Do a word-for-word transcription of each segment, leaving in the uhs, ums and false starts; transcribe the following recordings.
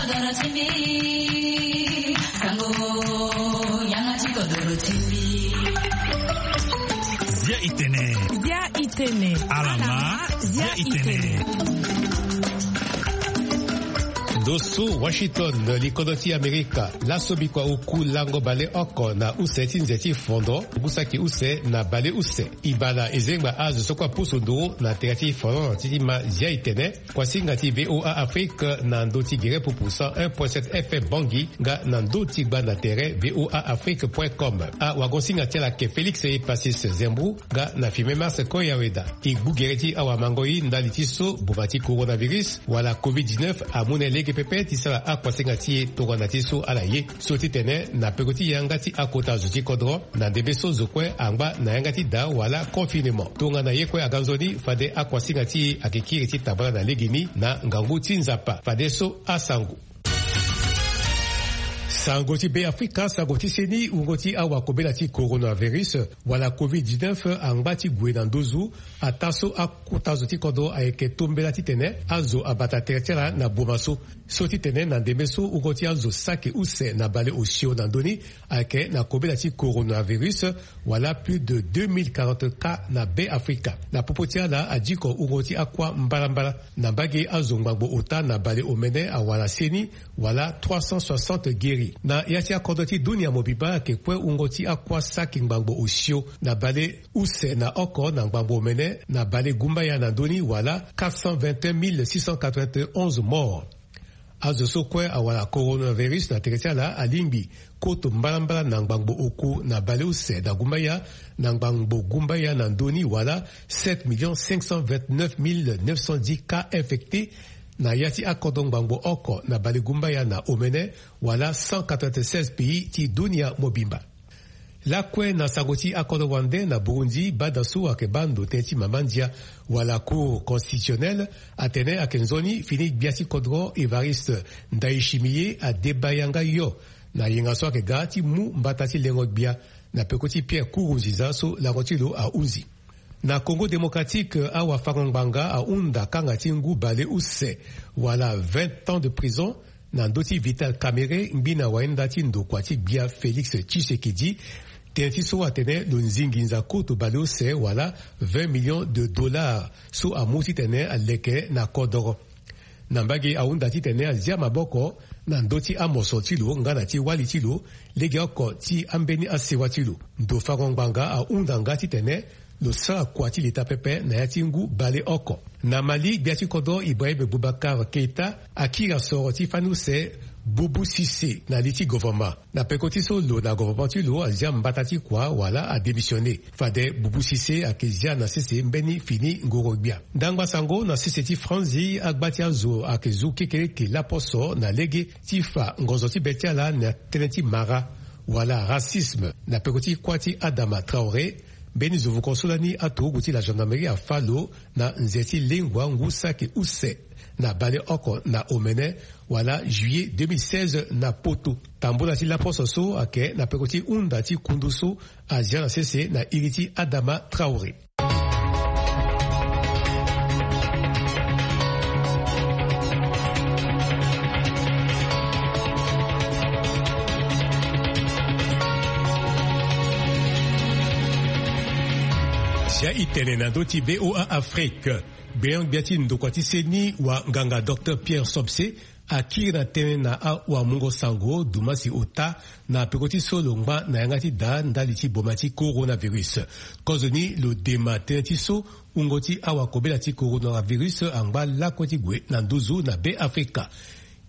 Zia itene. Zia itene. Alama. Zia itene. Ndo so Washington, likodro ti Amerika, laso bikua oku lango baleoko na use ti nze ti fondo, ngu saki use na baleuse. Ibala ezengba azo so kue apusu nduru na tere ti fondo ti ma Zia itene. Kuasinga ti VOA Afrique na ndö ti gere pupu cent un point sept F M Bangui, nga na ndö ti gba na tere VOA Afrique point com. Awagosinga ti ala ayeke Félix Epasis Zembou, nga na filme Mars Koyaweda. E gbu gere ti awamangoi ndali ti so boma ti coronavirus wala covid dix-neuf amu na e lege pepe ti sara akuasinga ti e tongana ti so ala ye. So ti tene na peko ti yanga ti akota zo ti kodro, na ndembe so zo kue angba na yanga ti da wala confinement. Tongana ye kue aga nzoni, fade akuasinga ti e ayeke kiri ti tambala na legeni na ngangu ti Nzapa. Fadeso asango. Sango ti Beafrika, sango ti seni, wungo ti awakobela ti coronavirus wala covid dix-neuf angba ti gue na nduzu. Ataa so akota zo ti kodro ayeke tombela titene azo abata tere ti ala na boma so. So ti tene na ndembe so wungo ti azo saki use na baleosio na ndö ni ayeke na kobela ti coronavirus, wala plus de deux mille quarante cas na Beafrika. Na popo ti ala adiko wungo ti akua mbalambala. Na mbage azo ngbangbo ota na baleomene awara seni, wala trois cent soixante guéris. Na ya ti akodro ti dunia mobimba ayeke kue wungo ti akua saki ngbangbo osio na baleuse na oko na ngbangbo omene na balegumbaya na ndö ni, wala quatre cent vingt et un mille six cent quatre-vingt-onze morts. Azo so kue awara coronavirus na tere ti ala alingbi koto mbalambala na ngbangbo oku na baleuse na gumbaya na ngbangbo gumbaya na ndö ni, wala sept millions cinq cent vingt-neuf mille neuf cent dix cas infectés. Na ya ti akodro ngbangbo oko na balegumbaya na omene, wala cent quatre-vingt-seize pays ti dunia mobimba. Lakue na sango ti akodro wande, na Burundi, bada so ayeke baa ndo tënë ti mama ndia wala Cour constitutionnelle atene ayeke nzoni fini gbia ti kodro Évariste Ndayishimiye adeba yanga yo na yenga so ayeke ga ti mu mbata ti lengo gbia na peko ti Pierre Nkurunziza so lango ti lo ahunzi. Na Congo Démocratique, awafango-ngbanga ahunda kanga ti ngu baleuse wala vingt ans de prison na ndö ti Vital Kamerhe, ngbina wainda ti ndokua ti gbia Félix Tshisekedi. Tënë ti so atene lo nzi nginza koto baleuse wala vingt millions de dollars so amu titene aleke na kodoro. Na mbage ahunda titene azia maboko na ndö ti amoso ti lo nga na ti wali ti lo, legeoko ti ambeni asewa ti lo. Ndo fango-ngbanga ahunda nga titene lo sara kua ti leta pepe na ya ti ngu baleoko. Na Mali, gbia ti kodro Ibrahim Boubacar Keita akiri asoro ti fani use Boubou Cissé na li ti govoroma. Na peko ti so lo na govoroma ti lo azia mbata ti kua wala adémissionné. Fade Boubou Cissé ayeke zia na sese mbeni fini ngoro gbia. Ndangba sango na sese ti Franzi, agba ti azo ayeke zu kekereke laposo na lege ti fa ngonzo ti be ti ala na tënë ti mara wala racisme na peko ti kuâ ti Adama Traoré. Mbeni zo vuko so lani aturugu ti la gendarmerie afâ lo na nze ti lengua ngu saki use na baleoko na omene, wala juillet deux mille seize na Poto. Tambula ti laposo so ayeke na peko ti hunda ti kundu so azia na sese na iri ti Adama Traoré. Zia itene na ndö ti VOA Afrique. Gbeon-gbia ti ndokua ti seni, wanganga Docteur Pierre Somse, akiri na tënë na awamungo sango dumasi ota na peko ti so lo ngba na yanga ti da ndali ti boma ti coronavirus. Kozoni lo dema tënë ti so wungo ti awakobela ti coronavirus angba lakue ti gue na nduzu na Beafrika.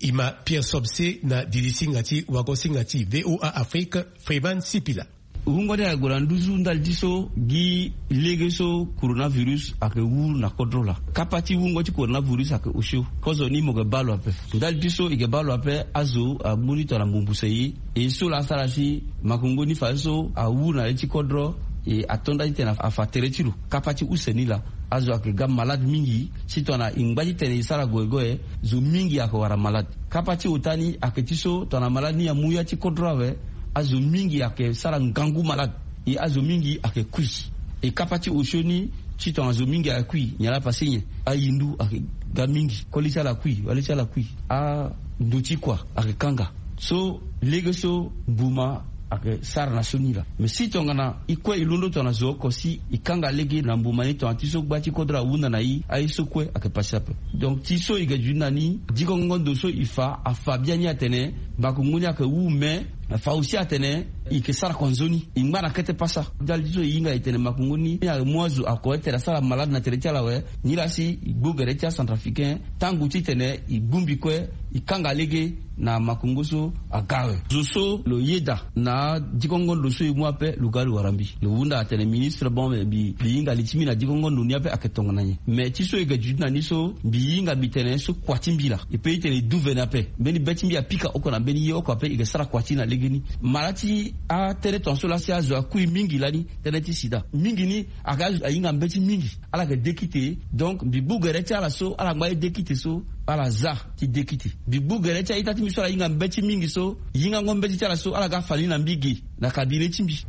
E ma Pierre Somse na dilisinga ti wagosinga ti VOA Afrique, Freeman Sipila. Wungo ni ayeke gue na nduzu ndali ti so gi lege so coronavirus ayeke wuru na kodro laa. Kapa ti wungo ti coronavirus ayeke osio. Kozoni mo yeke baa lo ape. Ndali ti so e yeke baa lo ape, azo amu ni tongana mbumbu seye. E so laa asara si makongo ni fadeso awuru na le ti kodro, e ato nda titene afa tere ti lo. Kapa ti use ni laa, azo ayeke ga malade mingi. Si tongana e ngba titene e sara goegoe, zo mingi ayeke wara malade. Kapa ti ota ni ayeke ti so tongana malade ni amu ya ti kodro awe, azo mingi ayeke sara ngangu malade. E azo mingi ayeke kui. E kapa ti osio ni, si tongana zo mingi ayeke kui, nyen laa pase nyen? Ahindu ayeke Ga mingi koli ti ala kui wali ti ala kui, ando ti kua ayeke kanga. So lege so mbuma ayeke sara na so ni laa. Mais si tongana e kue e londo tongana zo oko si e kanga lege na mbuma ni tongana ti so gba ti kodro ahunda na e, aye so kue ayeke pasi ape. Donc ti so e ga duti na ni dikongo ndo so e fa afa biani atene makongo ni ayeke wu, mais afa aussi atene e yeke sara kua nzoni e ngba na kete pasa. Ndali ti so e hinga e tene makongo ni ni ayeke mu azo ako ete asara malade na tere ti ala awe. Ni laa si e gbu gere ti acentrafricain tango titene e gbu mbi kue e kanga lege na makongo so aga awe. Zo so lo yeda na adikongo ndo so e mu ape lo ga lo wara mbi. Lo hunda atene ministre bon, mbi hinga li ti mbi na adikongo ndo ni ape ayeke tongana nyen? Mais ti so e ga duti na ni so mbi hinga mbi tene so kua ti mbi laa e pe titene e duvene ape. Mbeni be ti mbi apika oko na mbeni ye oko ape e ke sara kua ti na legeni. Mara ti atënë tongaso laa si azo akui mingi lani tënë ti sida mingi ni. Aka azo ahinga mbeti mingi ala yeke dekite. Donc mbi gbu gere ti ala so ala ngba ye dekite so ala za ti dekite. Mbi gbu gere ti a-ita ti mbi so ala hinga mbeti mingi so hingango mbeti ti ala so ala ga fa ni na mbi ge na kabine ti mbi.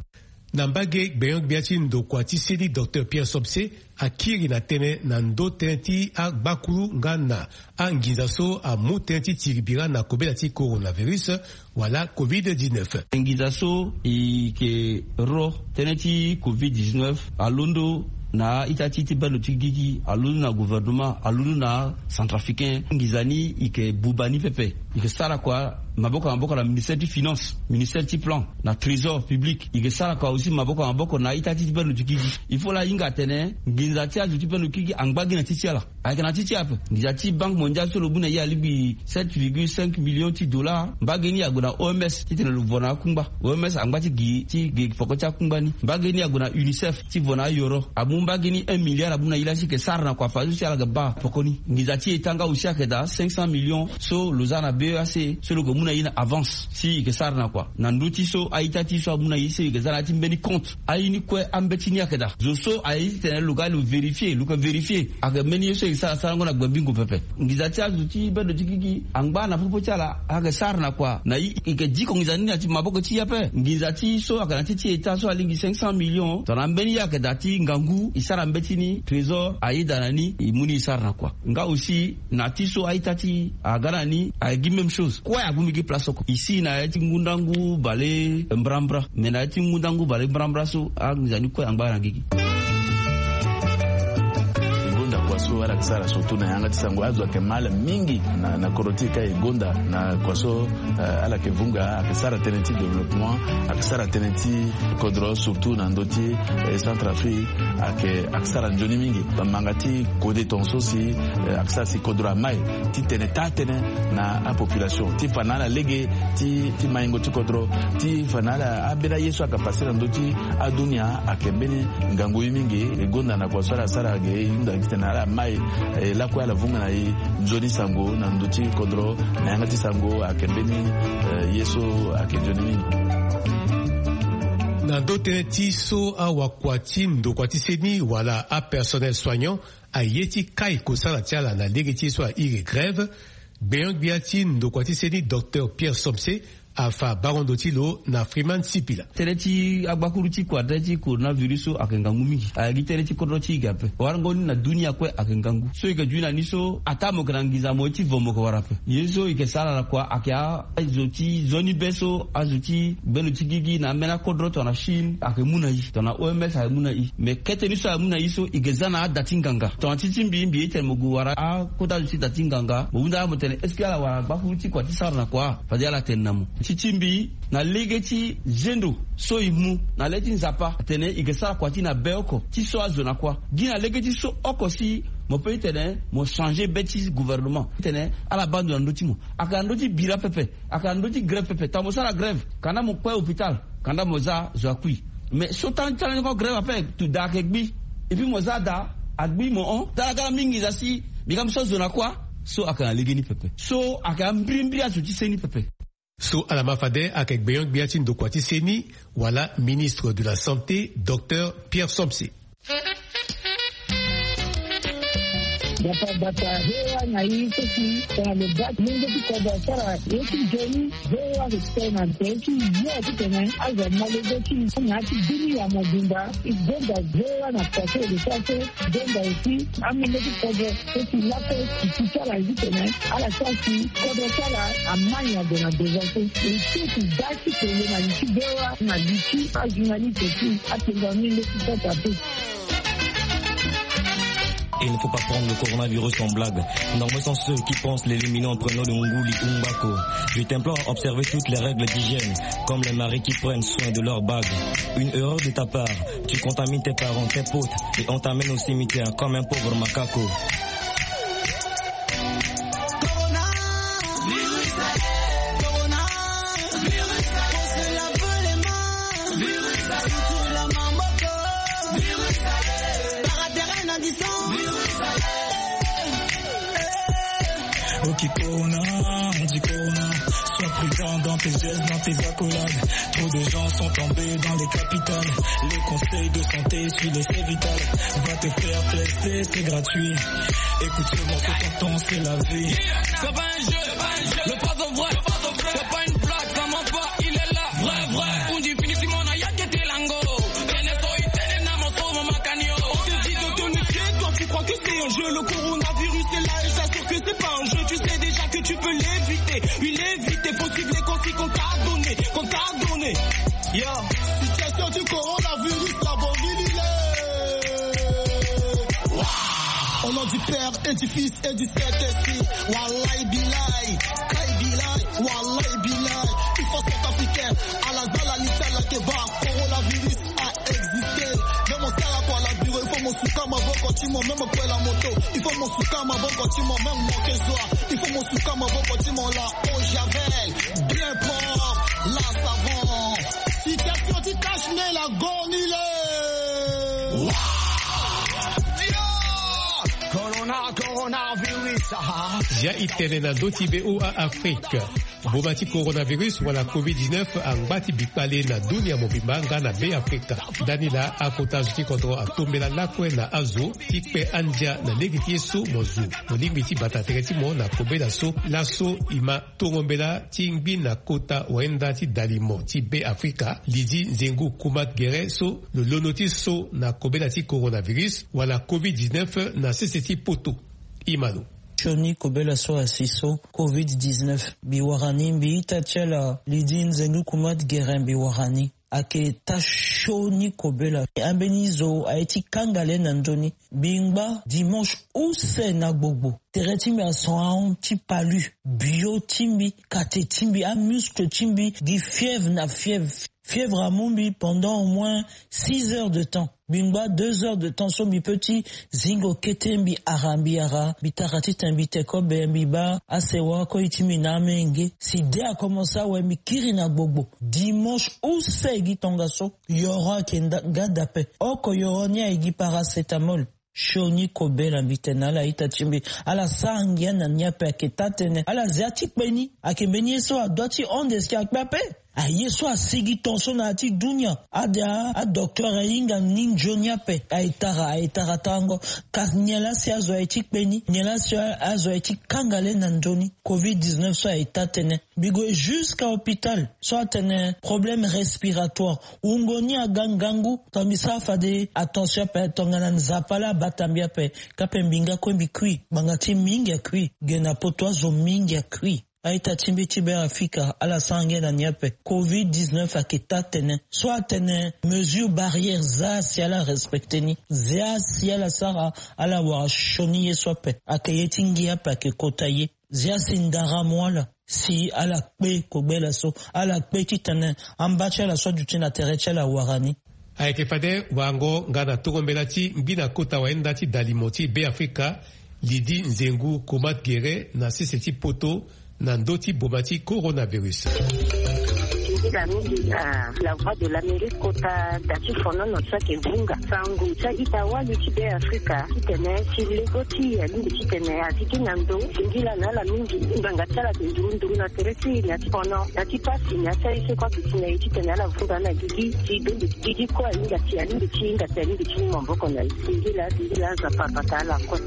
Na mbage gbenyo-gbia ti ndokua ti seni docteur Pierre Somse akiri na tënë na ndö tënë ti agbakuru nga na anginza so amu tënë ti tiri bira na kobela ti coronavirus wala covid dix-neuf. Nginza so e ke ro tënë ti covid dix-neuf alondo na a-ita ti ti bendo ti gigi, alondo na gouvernement, alondo na centrafricain. Nginza ni e ke buba ni pepe. E ke sara kua maboko na maboko na ministère ti finance, ministère ti plan, na trésor public. E ke sara kua aussi maboko na maboko na a-ita ti ti bendo ti gigi. Il faut la hinga atene nginza ti azo ti bendo ti gigi angba gi na ti ti ala. Ayeke na ti ti ape. Nginza ti banque mondiale so lo mu na ye alingbi sept virgule cinq millions ti dollars. Mbage ni ague na O M S titene lo vo na akungba. O M S angba ti gi ti gi poko ti akungba ni. Mbage ni ague na UNICEF ti vo na ayoro. Amu mbage ni un milliard amu na ye laa si e ke sara na kua fadeso si ala yeke baa poko ni. Nginza ti eta nga aussi ayeke daa cinq cents millions so lo za na B E A C so lo yeke mu na ye na avance si e ke sara na kua. Na ndö ti so a-ita ti so amu na ye so e yeke za na ya ti mbeni compte. Aye ni kue ambeti ni ayeke daa. Zo so aye titene lo ga lo vérifier, lo yeke vérifier. Ayeke mbeni ye so e yeke sara sarango na gbembingo pepe. Nginza ti azo ti bendo ti gigi angba na popo ti ala ayeke sara na kua na e. E yeke diko nginza ni na ti maboko ti e ape. Nginza ti so ayeke na ti ti eta so alingbi cinq cents millions tongana mbeni ye ayeke daa ti ngangu e sara mbeti ni trésor ayeda na ni e mu ni e sara na kua. Nga aussi na ti so a-ita ti aga na ni ayeke gi même chose. Kue ague mbi gi place oko e si na ya ti ngundangu bale mbrambra. Mais na ya ti ngundangu bale mbrambra so anginza ni kue angba na gigi. E gonda kua so ala yeke sara surtout na yanga ti sango azo ayeke ma ala mingi na, na kodro ti e ka e gonda na kua so. Eh, ala yeke vunga ayeke sara tënë ti développement, ayeke sara tënë ti kodro surtout na ndö ti, eh, Centrafrique. Ayeke, ayeke sara nzoni mingi. Manga ti kode tongaso si, eh, ayeke sara si kodro amai titene taa tënë na apopulation ti fa na ala lege ti, ti maingo ti kodro ti fa na ala ambeni aye so ayeke pase na ndö ti adunia. Ayeke mbeni ngangu ye mingi. E gonda na kua so ala sara ge e hunda titene ala mai, eh, lakue ala vunga na e nzoni sango na ndö ti kodro na yanga ti sango ayeke mbeni, eh, ye so ayeke nzoni mingi. Na ndö tënë ti so awakua ti ndokua ti seni wala apersonnel soignant aye ti kai kosala ti ala na lege ti ye so airi grève, gbenyo-gbia ti ndokua ti seni docteur Pierre Somse afa bango ndo ti lo na Freeman Sipila. Tënë ti agbakuru ti kua tënë ti coronavirus so ayeke ngangu mingi. Ayeke gi tënë ti kodro ti e ge ape. Warango ni na dunia kue ayeke ngangu. So e yeke duti na ni so ataa mo yeke na nginza mo ye ti vo mo yeke wara ape. Ye so e yeke sara na kua ayeke azo ti nzoni be so azo ti gbendo ti gigi na ambeni akodro tongana Chine ayeke mu na e, tongana O M S ayeke mu na e. Mais kete ni so ayeke mu na e so e yeke za na ada ti nganga. Tongana ti ti mbi, mbi ye ti tene mo gue wara akota azo ti da ti nganga, mo hunda ala mo tene est-ce que ala wara gbakuru ti kua ti sara na kua? Fade ala tene na mo. Ti ti mbi na lege ti zendo so e mu na le ti Nzapa atene e yeke sara kua ti na be oko ti so azo na kua. Gi na lege ti so oko si mo pe ti tene mo changer be ti gouvernement titene ala baa ndo na ndö ti mo. Ayeke na ndö ti bira pepe. Ayeke na ndö ti grève pepe. Tongana mo sara grève kanda mo kpe hôpital, kanda mo za zo akui. Mais so tana ti ala ni ko grève ape, tu da ayeke gbi. Et puis mo za da agbi mo hon. Tara gara mingi za si mbi ga mbi so zo na kua. So ayeke na lege ni pepe. So ayeke ambirimbiri azo ti seni pepe. So ala ma fade ayeke gbenyo-gbia ti ndokua ti seni wala ministre de la santé docteur Pierre Somse. Bata bata, ve wa na i so si tena lo bati mungo ti kodro asara ye ti nzoni. Ve wa respect na nze ti yo ti tene azo malego ti na ti bini ya mobimba. I gonda ve wa na pase de sa so gonda aussi amungo ti kodro so si lape ti ti sara ti tene ala sa si kodro sara amani ya gue na devant so. E so ti da ti tene na li ti ve wa na li ti ajournaliste ti atenga mingo ti sota pe. Il ne faut pas prendre le coronavirus en blague. Nombreux sont ceux qui pensent l'éliminer en prenant le nguli ou mbako. Je t'implore à observer toutes les règles d'hygiène, comme les maris qui prennent soin de leur bague. Une erreur de ta part, tu contamines tes parents, tes potes, et on t'amène au cimetière comme un pauvre macaco. Ok, Corona, on dit Corona. Sois prudent dans tes gestes, dans tes accolades. Trop de gens sont tombés dans les capitales. Les conseils de santé, suis-les, c'est vital. Va te faire tester, c'est gratuit. Écoute seulement ce que t'entends, c'est la vie. C'est pas un jeu, le poison vrai. C'est pas une blague, ça ment pas, il est là. Vrai, vrai. On dit fini, Simon, a ya kete lango. Tene so i tene na moto, mo makanio. On te dit de te méfier, toi tu crois que c'est un jeu. Le coronavirus est là et j'assure que c'est pas un jeu. Tu sais déjà que tu peux l'éviter. Il évite, faut suivre les consignes qu'on t'a donné, qu'on t'a donné. Yo, situation du coronavirus, la bombe, il est. Waouh. Au nom du Père et du Fils et du Saint-Esprit. Wallahi billahi, kai billahi, wallahi billahi. Il faut centrafricain, à la zala l'Italie que va coronavirus a existé. Même au sala pour la bureau, il faut mon souka ma boko timo, même pour la moto, il faut mon souka ma boko timo, même mon kezoa, il faut mon souka ma boko timo la eau javel, bien propre, la savon. Situation du cache-nez, la gornile. Corona, coronavirus, ah. Ya i tene na ndö ti be o a Afrika. Boma ti coronavirus wala covid dix-neuf angba ti bikpale na dunia mobimba nga na be Afrika. Ndani laa akota zo ti kodro atombela lakue na azo ti kpe andia na lege ti ye so mo zo. Mo lingbi ti bata tere ti mo na kobela so laso i ma tongo mbela ti ngbi na kota wayenda ti dalimo ti be Afrika, Lydie Nzengu Kumat Gere so lo londo ti so na kobela ti coronavirus wala covid dix-neuf na sese ti poto. I ma lo. Sioni kobela so asi so covid dix-neuf mbi wara ni, mbi ita ti ala Lydie Nzengu Kumat Gere mbi wara ni. Ayeke taa sioni kobela. Ambeni zo aye ti kanga le na ndö ni. Mbi ngba dimanche use na gbogbo. Tere ti mbi ason ahon ti palu. Bio ti mbi, kate ti mbi, amuscle ti mbi gi fièvre na fièvre. Fièvre amu mbi pendant au moins six heures de temps. Mbi ngba deux heures de temps so mbi peut ti zingo kete, mbi ara, mbi ara, mbi tara titene mbi te kobe, mbi baa asewa koi ti mbi na amenge. Si de akomense awe, mbi kiri na gbogbo. Dimanche use gi tongaso, yoro ayeke nda-, nga daa ape. Oko yoro ni aye gi paracétamol. Sioni kobela mbi tene na ala ita ti mbi. Ala sara ngia na ni ape, ayeke taa tënë. Ala zia ti kpe ni. Ayeke mbeni ye so adua ti hon de si akpe ape. Aye so asigi tongaso na ya ti dunia. Ade a, adocteur ahinga ni nzoni ape. Aye tara, aye tara tango. Kasi nyen laa si azo aye ti kpe ni? Nyen laa si azo aye ti kanga le na nzoni? Covid dix-neuf so aye taa tënë. Mbi gue jusqu'à hôpital so atene problème respiratoire. Wungo ni aga ngangu. Tongana mbi sara fade attention ape, tongana Nzapa laa abata mbi ape. Kape mbi nga kue mbi kui. Ngbanga ti mingi akui. Ge na poto azo mingi akui. A-ita ti mbi ti Beafrika, ala sara ngia na ni ape. Covid dix-neuf ayeke taa tënë. So atene mesure barrière, zia si ala respecte ni. Zia si ala sara, ala wara sioni ye so ape. Ayeke ye ti ngia ape ayeke kota ye. Zia si ndara mu ala. Si ala kpe kobela so. Ala kpe titene amba ti ala so aduti na tere ti ala awara ni. Ayeke fade wango nga na tongo mbela ti ngbi na kota wayenda ti dalimo ti Beafrika, Lydie Nzengu Kumat Gere na sese ti poto na ndö ti boma ti coronavirus. Nzila mingi na La Voix de l'Amérique kota da ti fonono so ayeke vunga sango ti a-ita wali ti Beafrika titene ti lego ti e alingbi titene azi gi na ndo. Singila na ala mingi ngbanga ti ala ayeke nduru nduru na tere ti e na ti fono na ti pasi na ti aye so kue aduti na e titene ala vunga na gigi ti donde gigi kue ahinga ti alingbi ti hinga ti alingbi ti mu maboko na e. Singila singila Nzapa abata ala kue.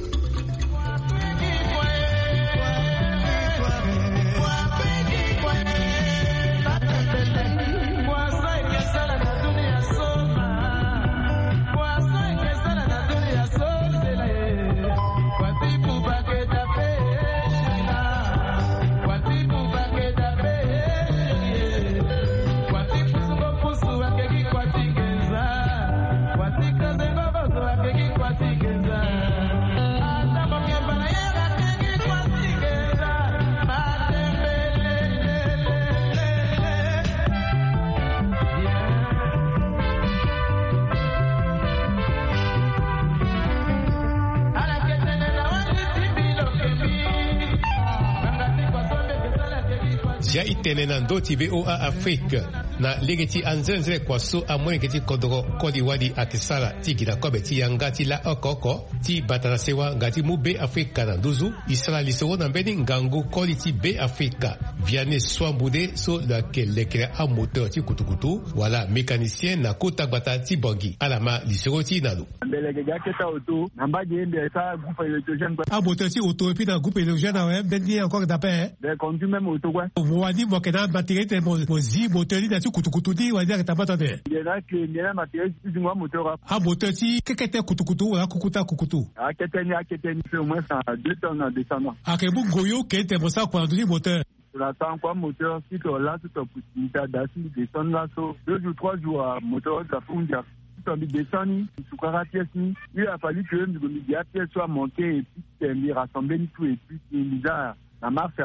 Zia i tene na ndö ti VOA Afrique. Na lege ti anzenze kua so amolenge ti kodro koli wali ayeke sara ti gi na kobe ti yanga ti la oko oko ti bata na sewa nga ti mu Be Afrika na nduzu. E sara lisoro na mbeni ngangu koli ti Be Afrika, Vianney Swambude, so lo yeke lekere amoteur ti kutukutu wala mécanicien na kota gbata ti Bangui. Ala ma lisoro ti e na lo. Mbele yeke ga kete auto na mbage, mbi sara groupe électrogène kue. Amoteur ti auto epui na groupe électrogène awe, mbeni ye encore dape. Mbi conduit même auto kue. Wani mo yeke na matériel ti tene mo zi moteur ni na ya ti kutukutu ni, wani ayeke tambata tene? Mbi na clé, mbi na matériel ti zingo amoteur. Amoteur ti kekete kutukutu wala kukuta kukutu? Akete ni, akete ni, fait au moins deux tonnes en descendant. Ayeke mu ngoyo ke tene mo sara kua na ndö ti moteur? Tongana tango kua moteur, si tongana laso tongana pusi, mbi ta daa si mbi descendre laso deux jours, trois jours, amoteur aza hundia. Si tongana mbi descendre ni, mbi sukara apièce ni. Il a fallu que mbi gue mbi gi apièce so amanqué, et puis titene mbi rassembler ni tout, et puis mbi za na marche.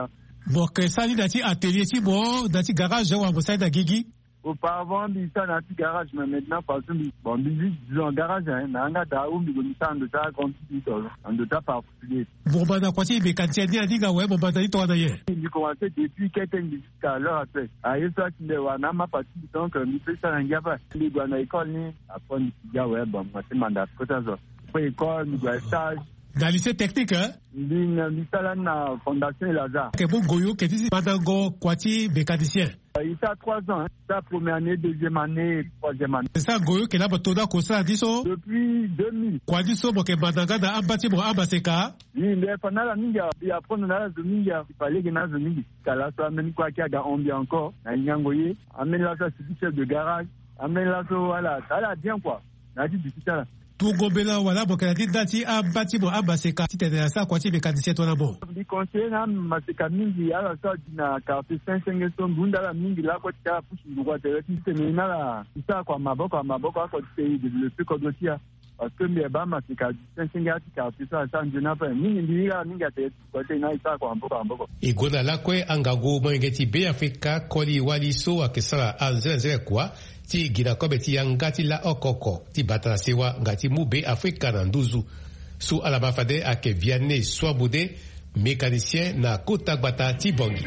Mo yeke sara ni na ya ti atelier ti mo, na ya ti garage, wala mo sara ni na gigi? Auparavant mbi sara na ya ti garage, mais maintenant parce que mbi, bon, mbi zi dix ans garage, hein, na yanga daa ou mbi gue mbi sara na ndo ti agrandi ti mbi tongana na ndo ti aparticulier. Mo banda kua ti mécanicien ni aninga awe, mo banda ni tongana nyen? Mbi commencé depuis kete, mbi jusqu'à l'heure actuelle. Ah, ye so atinde wara na amapa ti mbi, donc, euh, mbi peut sara na ngia ape. Mbi gue na école ni, après mbi ti ga awe, bon, mo ti manda kota zo. Après école, mbi gue na stage. Na lycée technique, hein? Mbi na, mbi sara na Fondation El Azhar. Ayeke mu ngoyo ke ti mandango kua ti mécanicien? Euh, il sara trois ans, hein. Sara première année, deuxième année, troisième année. C'est ça, ngoyo ke laa mo to na kosala ni so? Depuis deux mille. Kua ni so mo yeke manda nga na amba ti mo amaseka? Oui, mbi fa na ala mingi, mbi apprendre na ala zo mingi, mbi fa lege na ala zo mingi. Ka laso ambeni kue ayeke aga hon mbi encore, na nyango ye. Ambeni laso asigi chef de garage. Ambeni laso ala, ala bien quoi. Na ya ti duti ti ala. Tungo mbela wala mo yeke na ni nda ti amba ti mo amaseka titene asara kua ti mécanicien tongana mo? Mbi conseiller na amaseka mingi, ala so adi na quartier Saint Senge so, mbi hunda ala mingi lakue ti ala pusu nduru atere titene na ala ti sara kua maboko, maboko oko titene e développer kodro ti ala. Parce que mbi yeba amaseka adi Saint Senge, ala ti quartier so asara nzoni ape. Mingi mbi hiri ala mingi atere ti kua titene na ala ti sara kua maboko, maboko. E gue na lakue angangu molenge ti Be Afrika koli wali so ayeke sara anzenenzene kua ti gi na kobe ti yanga ti la oko oko ti bata na sewa nga ti mu Be Afrika na nduzu. So ala ma fade ayeke Vianney Swambude, mécanicien na kota gbata ti Bangui.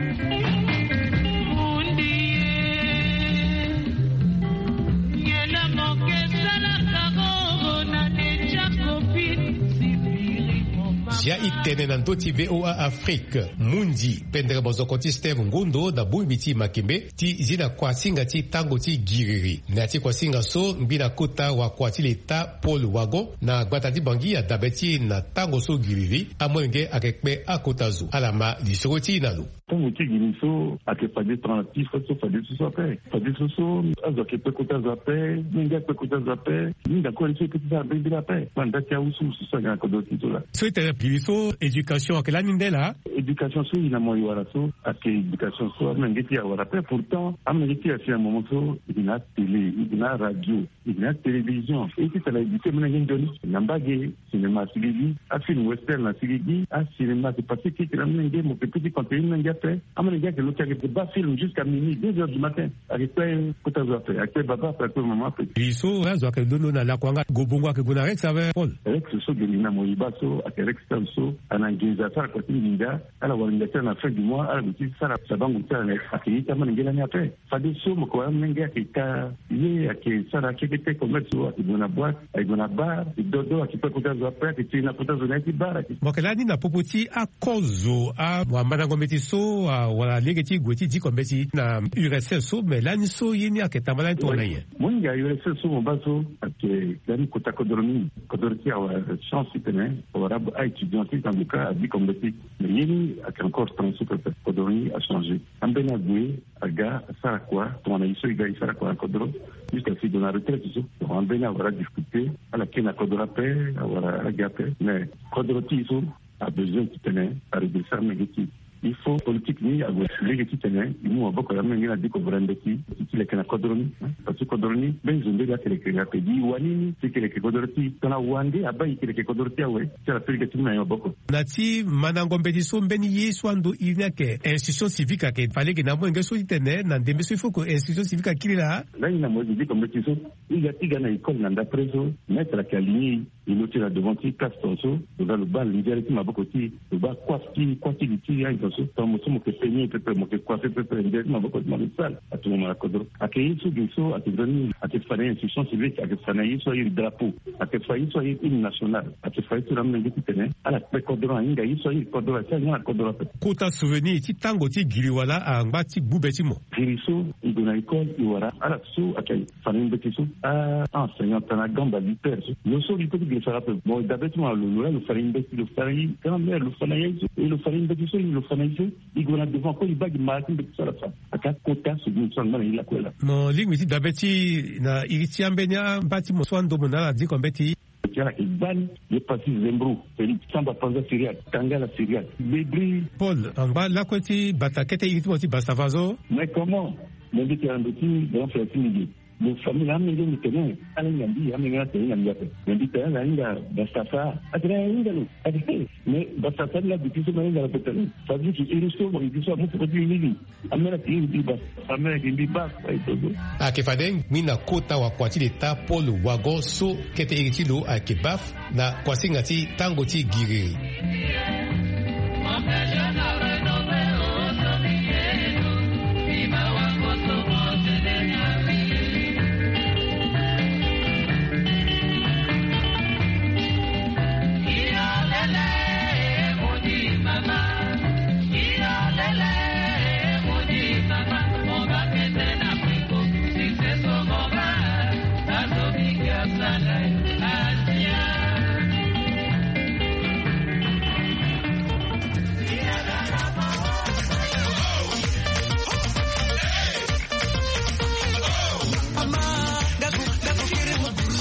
Zia i tene na ndö ti VOA Afrique. Mundi pendere mozoko ti Steve Ngundo na bongbi ti Makembe ti zi na kuasinga ti tango ti giriri. Na ya ti kuasinga so, ngbi na kota wakua ti leta Paul Wagon na gbata ti Bangui adabe ti e na tango so giriri, amolenge ayeke kpe akota zo. Ala ma lisoro ti e na lo. Tango ti giriri so ayeke fade tongana ti fade so, fade so so ape. Fade so so azo ayeke kpe kota zo ape, molenge akpe kota zo ape. Mingi akue so e kpe ti sara mbirimbiri ape. Kue na nda ti awusuwusu so ayeke na kodro ti e so laa. So e tene giriri so éducation ayeke lani nde laa? Éducation so e na mo e wara so ayeke éducation so amolenge ti e awara ape. Pourtant amolenge ti e asi na moment so e yeke na atélé, e yeke na aradio, e yeke na atélévision. E ti tara éduquer molenge nzoni na mbage. Cinéma asigi gi, afilm western asigi gi, acinéma ayeke passé keke na amolenge, mo yeke peut ti conseiller molenge ape. Amolenge ayeke lo ti ayeke baa film jusqu'à minuit, deux heures du matin. Ayeke kpe kota zo ape, ayeke kpe baba ape, ayeke kpe mama ape. Gi so azo ayeke londo na lakua nga, gue bongo ayeke gue na Rex ape, Paul? Rex so ge li na mo e baa so ayeke Rex Town so, ana nginza asara kua ti nginza, ala wara nginza ti ala na fin du mois, ala gue ti sara sabango ti ala na, ayeke ye ti amolenge lani ape. Fade so mo yeke wara amolenge ayeke ka ye, ayeke sara kekete commerce so, ayeke gue na boîte, ayeke gue na bar, ayeke dodo, ayeke kpe kota zo ape, ayeke tene na kota zo na ye ti bar, ayeke. Mo yeke lani na popo ti akozo, a, amandango mbeti so, a, wala lege ti gue ti diko mbeti na U R S F so, me lani so ye ni ayeke tamba lani tongana nyen? Mo hinga U R S F so mo baa so ayeke lani kota kodro mingi. Kodro ti e awara chance titene awara a-étudiant ti tanga ka adiko mbeti. Me ye ni ayeke encore temps so pepe, kodro ni achangé. Ambeni ague aga asara kua tongana e so e ga e sara kua na kodro. Jusqu'à si e gue na retraite so, donc ambeni awara difficulté, ala kiri na kodro ape, awara ala ga ape. Mais kodro ti e so abesoin titene aredresser amolenge ti e. Il faut politique ni ague lege titene e mu maboko ya amolenge na diko vora mbeti ti leke na kodro ni. Parce que kodro ni mbeni zo nde ga ti leke ape. Gi wani ni ti leke kodro ti e, tongana wande abaa e ti leke kodro ti e awe, ti ala pe lege ti mu na e maboko. Na ti mandango mbeti so, mbeni ye so ando iri ni ayeke institution civique ayeke fa lege na amolenge so titene na ndembe so il faut que institution civique akiri laa. Lani na mo e gi diko mbeti so, e ga ti ga na école na ndapre so, maître ayeke aligné e, e lo ti na devant ti classe tongaso, lo ga lo baa lindiare ti maboko ti e, lo baa coiffe ti e, kua ti li ti e, So tango mosusu mo ke peigner pepe, mo ke coiffer pepe, nde ti maboko ti mo ake sale. Atongana na kodro. Ake ye so ge so ake nzoni, ake fa na ye institution civique, ake fa na ye so aye drapeau, ake fa ye so aye hymne national, ake fa ye so na amolenge titene ala kpe kodro na hinga ye so aye kodro, asi ahinga na kodro ape. Kota souvenir ti tango ti giri wala angba ti gbu be ti mo. Giri so e gue na école, e wara ala so ake fa na ye mbeti so. Ah, enseignant tana gamba liter so. Lo so li pe ti giri sara ape. Bon, dabe ti mo na lo, lo la lo fa na ye mbeti, lo fa na ye grand mère, lo fa na ye so, e lo fa na ye mbeti so, e lo fa na ye so. I gue na devant kue, i baa gi mara ti mbeti so ala fa. Ake akota so gi so angba na i lakue laa. Mo lingbi ti dabe ti na iri ti ambeni amba ti mo so andomo na ala diko mbeti. Ti ala yeke gbani. Ye pasi Zembro, Félix, Samba Panza Syriaque, Tangala Syriaque, Bébri. Paul, angba lakue ti bata kete iri ti mo ti Bastava so. Mais comment? Mo mbi tene na ndo ti grand frère ti mbi ge. Lo famille na amenge mbi tene ala hinga mbi, amenge na tene hinga mbi ape. Mais mbi tene ala hinga Bastava. Atene ala hinga lo. Atene mais Bastava ni la duti so ma hinga lo ape tene. Ça veut dire que iri so mo iri so amu peko ti iri ni. Amene ayeke mbi baf, amene ayeke mbi baf, aye so so. Ayeke fade ngbi na kota wakua ti leta Paul Wago so kete iri ti lo ayeke baf na kuasinga ti tango ti giriri.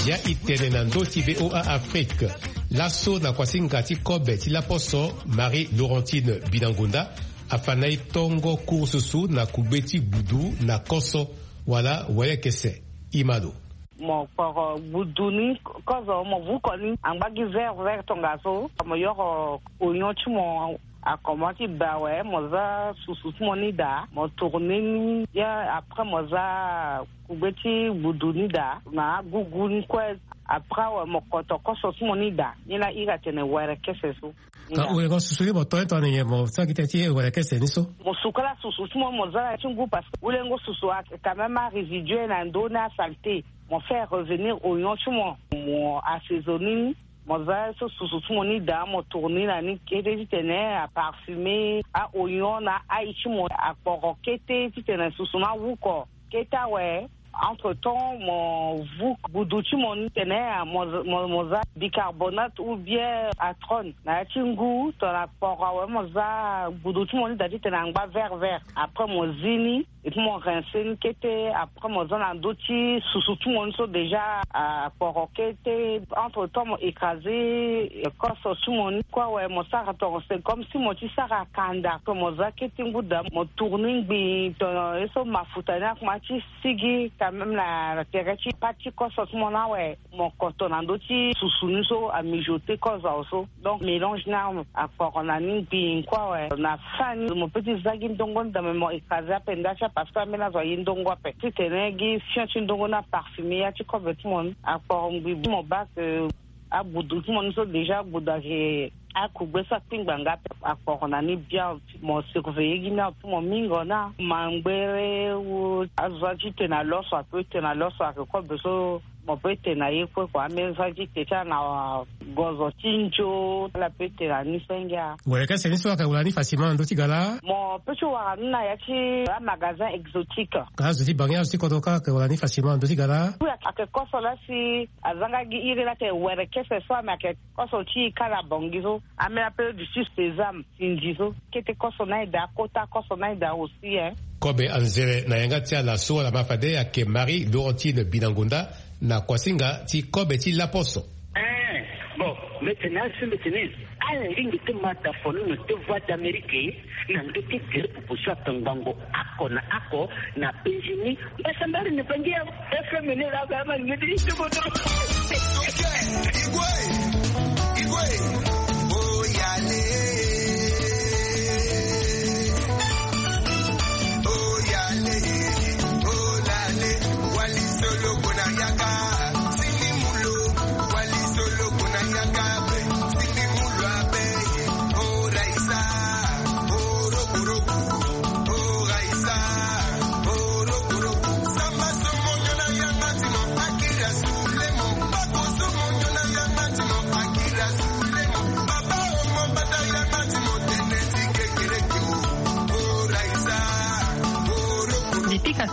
Ya i tene na ndö ti V O A Afrique. Laso na kuasinga ti kobe ti laposo, Marie Laurentine Binangonda afa na e tongo cours susu na kugbe ti gbudu na koso wala werekese. I ma lo. Mo kporo gbudu ni kozo, mo vuko ni angba gi vert vert tongaso, mo yoro oignon ti mo akomanse ti ba awe, mo za susu ti mo ni daa, mo tourner ni ya, après mo za kugbe ti gbudu ni daa na agugu ni kue. Après awe mo koto koso ti mo ni daa, ni la iri atene werekese so. Ka ure ko susu ni mo to ye tongana nyen, mo sara gi tene ti werekese ni so? Mo suka la susu ti mo, mo za na ya ti ngu parce que wulengo susu ayeke quand même arésiduer na ndö ni, asalté. Mo fait revenir oignon ti mo, mo assaisonner ni, mo za so susu ti mo ni daa, mo tourner na ni kete titene aparfumer a-oignon na ail ti mo, akporo kete titene susu ni awuko kete awe. Entre temps mo vu gbudu ti mo ni tene mo, mo, mo za bicarbonate ou bien atrone na ya ti ngu, tongana kporo awe mo za gbudu ti mo ni daa titene angba vert vert. Après mo zi ni, et puis mo rincer ni kete. Après mo za na ndö ti susu ti mo ni so déjà akporo kete. Entre temps mo écraser koso ti mo ni kue awe, mo sara tongo c'est comme si mo ti sara kanda. Pe mo za kete ngu daa, mo tourner ngbii, tongana ye so mafuta ni akoma ti sigi quand même na, na tere ti pâte ti koso ti mo ni awe, mo koto na ndö ti susu ni so amijoter kozo awe so. Donc mélange ni akporo na ni ngbii kue awe. Na fin ni mo peut ti za gi ndongo ni daa, mais mo écraser ape nda ti a parce que ambeni azo aye ndongo ape. Titene gi fion ti ndongo ni aparfumer ya ti kobe ti mo ni. Akporo ngbii mo baa ke agbudu ti mo ni so déjà agbudu ayeke akugbe so akpingba nga ape. Akporo na ni bien, mo surveiller gi ni ape, mo mingo ni amangbere ou azo ti tene na loso ape, tene na loso ayeke kobe so mo peut tene na ye kue kua. Ambeni so ti tene ti ala na gozo ti nzo ala peut tene na ni senge. Werekese ni so ayeke wara ni facilement na ndö ti ga laa? Mo peut ti wara ni na ya ti amagasin exotique. Azo ti bangi, azo ti kodro kâ ayeke wara ni facilement na ndö ti ga laa? Oui, ayeke koso laa si azanga gi iri laa tene werekese so, ame ayeke koso ti e kâ na Bangui so. Ambeni ape duti sésame, sinzi so. Kete koso ni aye daa, kota koso ni aye daa aussi, hein. Kobe anzere na yanga ti ala so ala ma fade ayeke Marie Laurentine Binangonda na kuasinga ti kobe ti laposo. Eh, bon, mbi tene asi mbi tene ala lingbi ti ma dafono na ti Voix d'Amérique na ndö ti gere pupu so atongbango oko na oko na Benjini. Mbasambari ni bangi ya F M ni la ba ma ngedi ti bodo.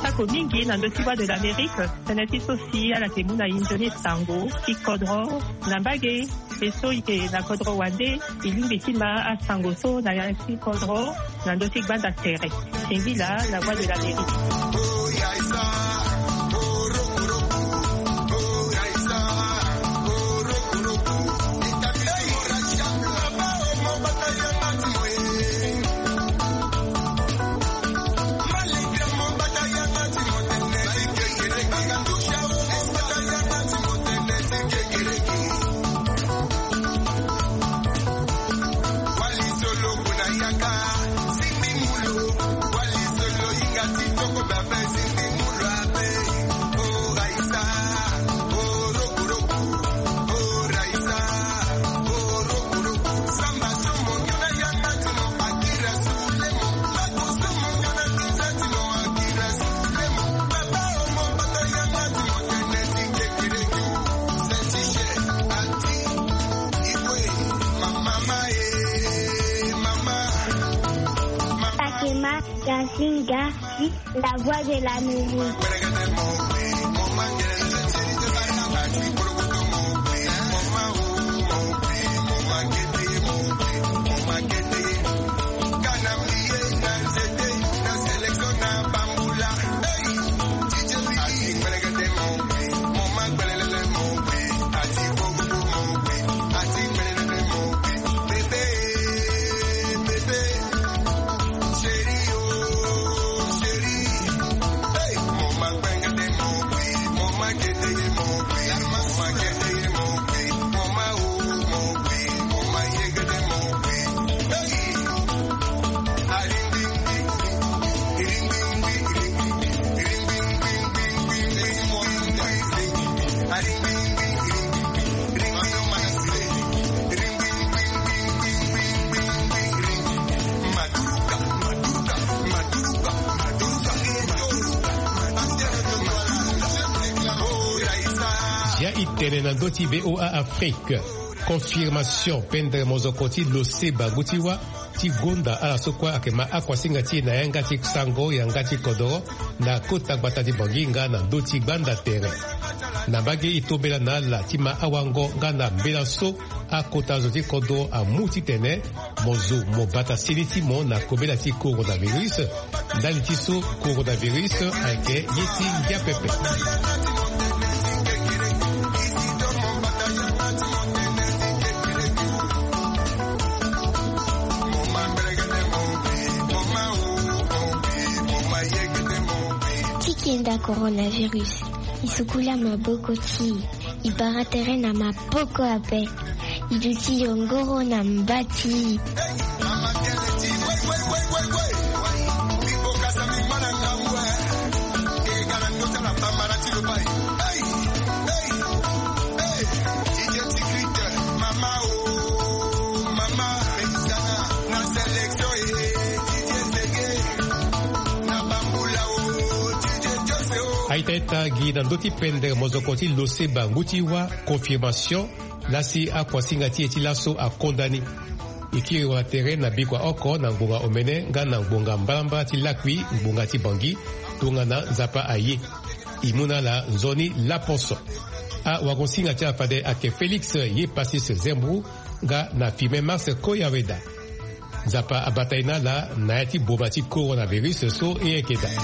Sako mingi na ndö ti Voix de l'Amérique, tënë ti so si ala yeke mu na e nzoni sango ti kodro na mbage. E so e yeke na kodro wande, e lingbi ti ma asango so na ya ti kodro na ndö ti gbanda tere. Singila na Voix de l'Amérique. Akema Yasinga, la Voix de l'Amérique. Ya i tene na ndö ti V O A Afrique. Confirmation pendre mozoko ti lo se bangu ti wâ ti gonda ala so kue ayeke ma akuasinga ti e na yanga ti sango yanga ti kodoro na kota gbata ti Bangui nga na ndö ti gbanda tere. Na mbage e tombela na ala ti ma awango nga na mbela so akota zo ti kodro amu titene mo zo mo bata seni ti mo na kobela ti coronavirus. Ndali ti so coronavirus ayeke ye ti ngia pepe. Ti kenda coronavirus, e sukula maboko ti e. E bara tere na maboko ape. E duti yongoro na mba ti e. Aita ita gi na ndö ti pendre mozoko ti lo se bangu ti wâ confirmation. Lasi akuasinga ti e ti laso akonda ni. E kiri wala tere na bikua oko na ngbonga omene nga na ngbonga mbalambala ti lakui ngbonga ti Bangui. Tongana Nzapa aye, e mu na ala nzoni laposo. Awagosinga ti ala fade ayeke Félix Yepasis Zembro nga na Firmin Mars Koyaweda. Nzapa abata e na ala na ya ti boma ti coronavirus so e yeke daa.